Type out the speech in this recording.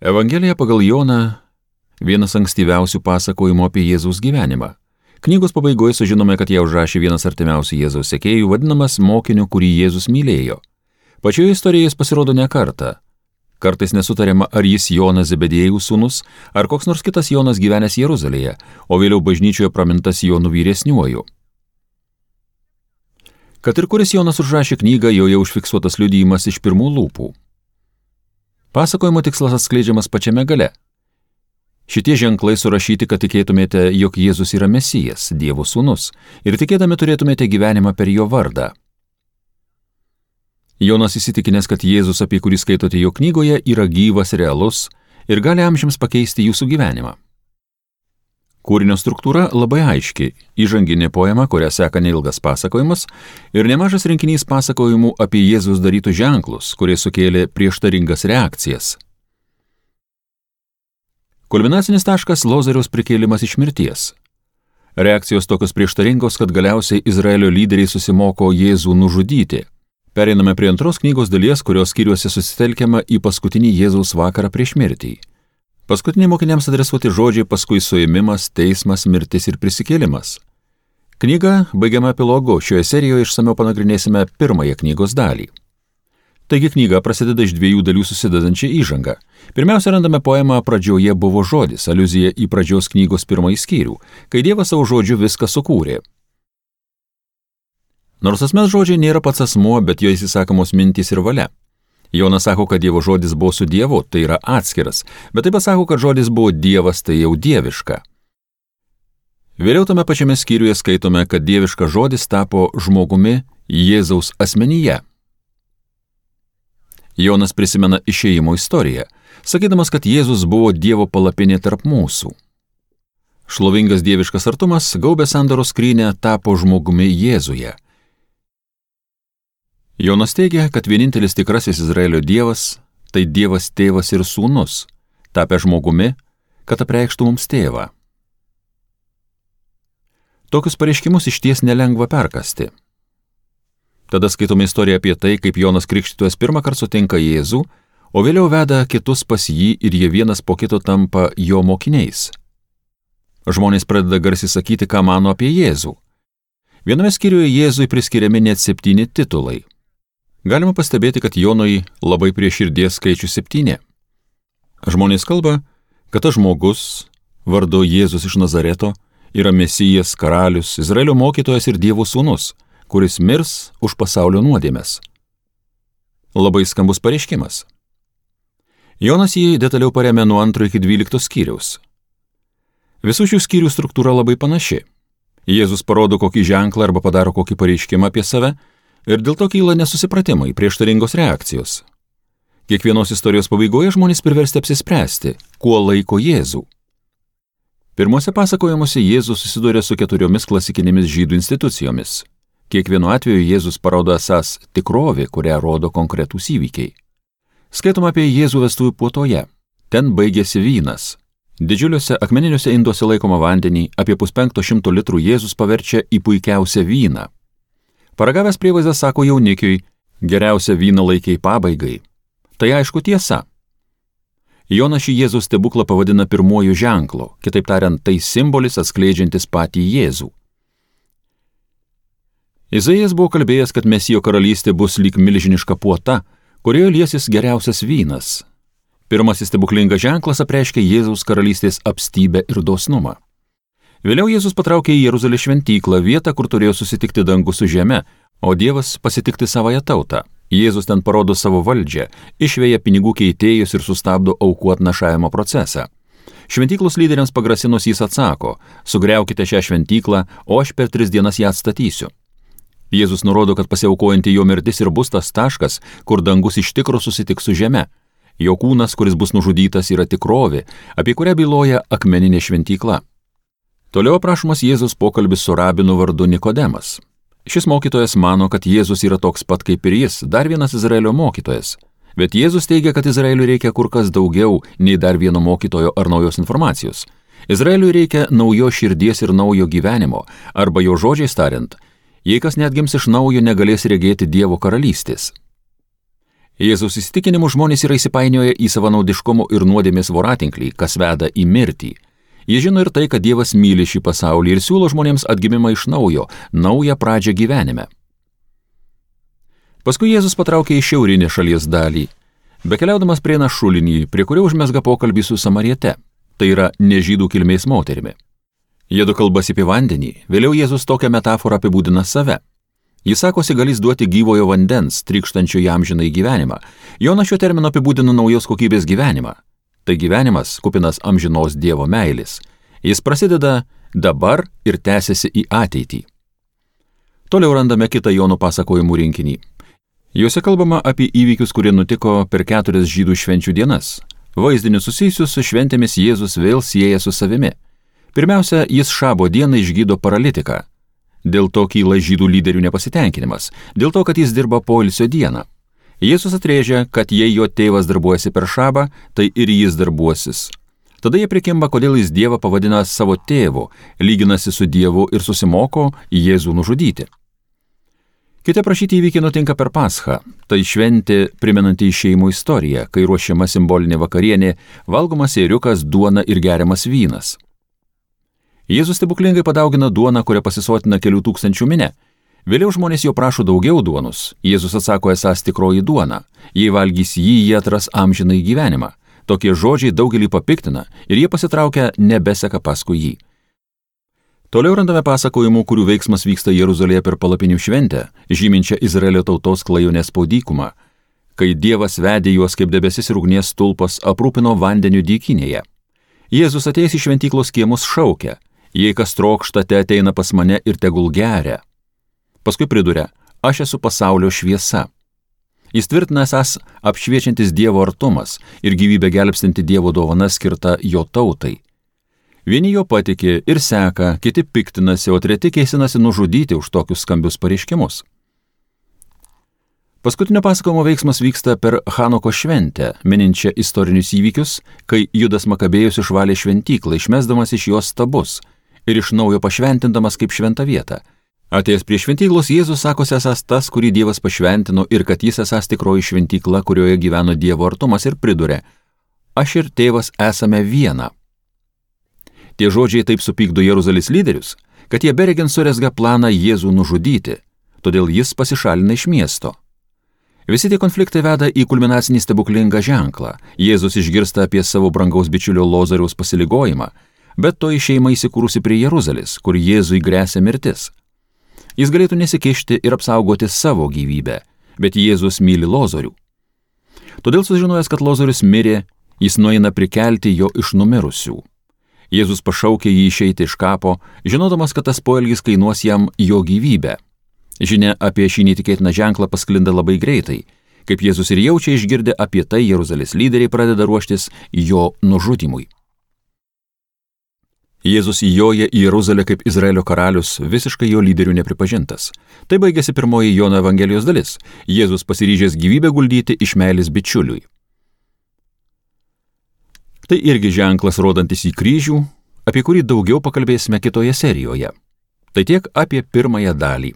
Evangelija pagal Joną vienas ankstyviausių pasakojimų apie Jėzaus gyvenimą. Knygos pabaigoje sužinome, kad ją užrašė vienas artimiausių Jėzaus sekėjų, vadinamas mokiniu, kurį Jėzus mylėjo. Pačioje istorijoje jis pasirodo ne kartą. Kartais nesutariama, ar jis Jonas Zebediejų sūnus, ar koks nors kitas Jonas gyvenęs Jeruzalėje, o vėliau bažnyčioje pramintas Jonu vyresniuoju. Kad ir kuris Jonas užrašė knygą, joje užfiksuotas liudijimas iš pirmų lūpų. Pasakojimo tikslas atskleidžiamas pačiame gale. Šitie ženklai surašyti, kad tikėtumėte, jog Jėzus yra Mesijas, Dievo sūnus, ir tikėdami turėtumėte gyvenimą per jo vardą. Jonas įsitikinęs, kad Jėzus, apie kurį skaitote jo knygoje, yra gyvas, realus ir gali amžiams pakeisti jūsų gyvenimą. Kūrinio struktūra labai aiški, įžanginė poema, kurią seka neilgas pasakojimas, ir nemažas rinkinys pasakojimų apie Jėzus darytus ženklus, kurie sukėlė prieštaringas reakcijas. Kulminacinis taškas – Lozoriaus prikėlimas iš mirties. Reakcijos tokios prieštaringos, kad galiausiai Izraelio lyderiai susimoko Jėzų nužudyti. Pereiname prie antros knygos dalies, kurios skyriuose susitelkiama į paskutinį Jėzaus vakarą prieš mirtį. Paskutiniai mokiniams adresuoti žodžiai, paskui suėmimas, teismas, mirtis ir prisikėlimas. Knyga baigiama epilogu, šioje serijoje išsamiau panagrinėsime pirmąją knygos dalį. Taigi knyga prasideda iš dviejų dalių susidedančią įžangą. Pirmiausia, randame poemą Pradžioje buvo žodis, aliuzija į pradžios knygos pirmąjį skyrių, kai Dievas savo žodžiu viską sukūrė. Nors asmens žodžiai nėra pats asmuo, bet jo įsisakomos mintys ir valia. Jonas sako, kad Dievo žodis buvo su Dievu, tai yra atskiras, bet taip pat sako, kad žodis buvo Dievas, tai jau dieviška. Vėliau tame pačiame skyriuje skaitome, kad dieviškas žodis tapo žmogumi Jėzaus asmenyje. Jonas prisimena išėjimo istoriją, sakydamas, kad Jėzus buvo Dievo palapinė tarp mūsų. Šlovingas dieviškas artumas, gaubęs sandoros skrynią, tapo žmogumi Jėzuje. Jonas teigia, kad vienintelis tikrasis Izraelio Dievas – tai Dievas tėvas ir sūnus, tapę žmogumi, kad apreikštų mums tėvą. Tokius pareiškimus išties nelengva perkasti. Tada skaitome istoriją apie tai, kaip Jonas Krikštytojas pirmą kartą sutinka Jėzų, o vėliau veda kitus pas jį ir jie vienas po kito tampa jo mokiniais. Žmonės pradeda garsiai sakyti, ką mano apie Jėzų. Viename skyriuje Jėzui priskiriami net 7 titulai. Galima pastebėti, kad Jonui labai prie širdies skaičius 7. Žmonės kalba, kad tas žmogus, vardu Jėzus iš Nazareto, yra Mesijas, karalius, Izraelio mokytojas ir Dievo sūnus, kuris mirs už pasaulio nuodėmes. Labai skambus pareiškimas. Jonas jį detaliau paremia nuo 2 iki 12 skyriaus. Visų šių skyrių struktūra labai panaši. Jėzus parodo kokį ženklą arba padaro kokį pareiškimą apie save ir dėl to kyla nesusipratimai, prieštaringos reakcijos. Kiekvienos istorijos pabaigoje žmonės priversti apsispręsti, kuo laiko Jėzų. Pirmose pasakojimuose Jėzus susiduria su 4 klasikinėmis žydų institucijomis. Kiekvienu atveju Jėzus parodo esąs tikrovė, kurią rodo konkretūs įvykiai. Skaitoma apie Jėzų vestuvių puotoje. Ten baigėsi vynas. Didžiuliuose akmeniniuose induose laikoma vandenį, apie 500 litrų Jėzus paverčia į puikiausią vyną. Paragavęs prievaizdas sako jaunikiui, geriausią vyną laikiai pabaigai. Tai aišku tiesa. Jonas šį Jėzaus stebuklą pavadina pirmuoju ženklu, kitaip tariant, tai simbolis atskleidžiantis patį Jėzų. Izaijas buvo kalbėjęs, kad Mesijo karalystė bus lyg milžiniška puota, kurioje liesis geriausias vynas. Pirmasis stebuklingas ženklas apreiškia Jėzaus karalystės apstybę ir dosnumą. Vėliau Jėzus patraukė į Jeruzalės šventyklą, vietą, kur turėjo susitikti dangus su žeme, o Dievas pasitikti savąją tautą. Jėzus ten parodo savo valdžią, išveja pinigų keitėjus ir sustabdo aukų atnašavimo procesą. Šventyklos lyderiams pagrasinus jis atsako, sugriaukite šią šventyklą, o aš per 3 dienas ją atstatysiu. Jėzus nurodo, kad pasiaukojanti jo mirtis ir bus tas taškas, kur dangus iš tikro susitiks su žeme. Jo kūnas, kuris bus nužudytas, yra tikrovė, apie kurią byloja akmeninė šventykla. Toliau aprašomas Jėzus pokalbis su rabinu vardu Nikodemas. Šis mokytojas mano, kad Jėzus yra toks pat kaip ir jis, dar vienas Izraelio mokytojas. Bet Jėzus teigia, kad Izraeliui reikia kur kas daugiau nei dar vieno mokytojo ar naujos informacijos. Izraeliui reikia naujos širdies ir naujo gyvenimo, arba jo žodžiais tariant, jei kas net gims iš naujo, negalės regėti Dievo karalystės. Jėzaus įsitikinimu žmonės yra įsipainioję į savanaudiškumo ir nuodėmės voratinklį, kas veda į mirtį. Jie žino ir tai, kad Dievas myli šį pasaulį ir siūlo žmonėms atgimimą iš naujo, naują pradžią gyvenime. Paskui Jėzus patraukė į šiaurinę šalies dalį, bekeliaudamas prieina šulinį, prie kurio užmesga pokalbį su Samariete, tai yra nežydų kilmės moterimi. Jiedu kalbasi apie vandenį, vėliau Jėzus tokią metaforą apibūdina save. Jis sakosi galys duoti gyvojo vandens, trykštančio į amžinąjį gyvenimą. Jonas šiuo terminu apibūdina naujos kokybės gyvenimą. Tai gyvenimas kupinas amžinos Dievo meilės. Jis prasideda dabar ir tęsiasi į ateitį. Toliau randame kitą Jono pasakojimų rinkinį. Juose kalbama apie įvykius, kurie nutiko per 4 žydų švenčių dienas. Vaizdinius susijusius su šventėmis Jėzus vėl sieja su savimi. Pirmiausia, jis šabo dieną išgydo paralitiką. Dėl to kyla žydų lyderių nepasitenkinimas, dėl to, kad jis dirba poilsio dieną. Jėzus atrėžia, kad jei jo tėvas darbuojasi per šabą, tai ir jis darbuosis. Tada jie prikimba, kodėl jis Dievą pavadina savo tėvu, lyginasi su Dievu ir susimoko Jėzų nužudyti. Kiti aprašyti įvykiai nutinka per Paschą, tai šventė primenanti šeimų istoriją, kai ruošiama simbolinė vakarienė, valgomas ėriukas, duona ir geriamas vynas. Jėzus stebuklingai padaugina duoną, kurią pasisotina kelių tūkstančių minia. Vėliau žmonės jo prašo daugiau duonos. Jėzus atsako esąs tikroji duona. Jei valgys jį, jie atras amžinąjį gyvenimą. Tokie žodžiai daugelį papiktina ir jie pasitraukia nebeseka paskui jį. Toliau randame pasakojimų, kurių veiksmas vyksta Jeruzalėje per palapinių šventę, žyminčią Izraelio tautos klajonės po dykumą, kai Dievas vedė juos kaip debesis ir ugnies stulpas aprūpino vandeniu dykinėje. Jėzus atėjęs į šventyklos kiemus šaukia: jei kas trokšta, te ateina pas mane ir tegul geria. Paskui priduria: aš esu pasaulio šviesa. Jis tvirtina esąs apšviečiantis Dievo artumas ir gyvybę gelbstinti Dievo dovana skirta jo tautai. Vieni jo patiki ir seka, kiti piktinasi, o treti kėsinasi nužudyti už tokius skambius pareiškimus. Paskutinio pasakojimo veiksmas vyksta per Chanoko šventę, mininčią istorinius įvykius, kai Judas Makabėjus išvalė šventyklą, išmesdamas iš jos stabus ir iš naujo pašventindamas kaip šventą vietą. Atėjęs prie šventyklos, Jėzus sakosi esąs tas, kurį Dievas pašventino, ir kad jis esąs tikroji šventykla, kurioje gyveno Dievo artumas, ir priduria: aš ir tėvas esame viena. Tie žodžiai taip supykdo Jeruzalės lyderius, kad jie beregint surezga planą Jėzų nužudyti, todėl jis pasišalina iš miesto. Visi tie konfliktai veda į kulminacinį stebuklingą ženklą. Jėzus išgirsta apie savo brangaus bičiulio Lozoriaus pasiligojimą, bet to šeima įsikūrusi prie Jeruzalės, kur Jėzui gresia mirtis. Jis galėtų nesikišti ir apsaugoti savo gyvybę, bet Jėzus myli Lozorių. Todėl sužinojęs, kad Lozorius mirė, jis nueina prikelti jo iš numirusių. Jėzus pašaukė jį išeiti iš kapo, žinodamas, kad tas poelgis kainuos jam jo gyvybę. Žinia apie šį netikėtiną ženklą pasklinda labai greitai. Kaip Jėzus ir jaučia išgirdę apie tai, Jeruzalės lyderiai pradeda ruoštis jo nužudymui. Jėzus įjoja į Jeruzalę kaip Izraelio karalius, visiškai jo lyderių nepripažintas. Tai baigėsi pirmoji Jono Evangelijos dalis. Jėzus pasiryžęs gyvybę guldyti iš meilės bičiuliui. Tai irgi ženklas rodantis į kryžių, apie kurį daugiau pakalbėsime kitoje serijoje. Tai tiek apie pirmąją dalį.